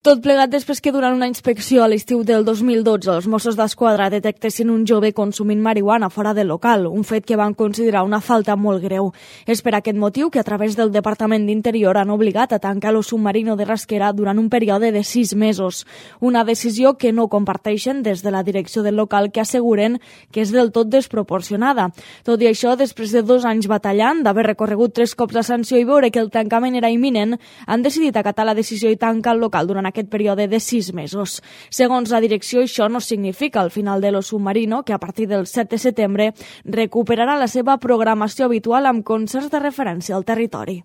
Tot plegat després que durant una inspecció a l'estiu del 2012 els Mossos d'Esquadra detectessin un jove consumint marihuana fora del local, un fet que van considerar una falta molt greu. És per aquest motiu que a través del Departament d'Interior han obligat a tancar el submarino de Rasquera durant un període de 6 mesos. Una decisió que no comparteixen des de la direcció del local, que asseguren que és del tot desproporcionada. Tot i això, després de 2 anys batallant, d'haver recorregut 3 cops la sanció i veure que el tancament era imminent, han decidit acatar la decisió i tancar el local durant aquest període de 6 mesos. Segons la direcció, això no significa el final de lo submarino, que a partir del 7 de setembre recuperarà la seva programació habitual amb concerts de referència al territori.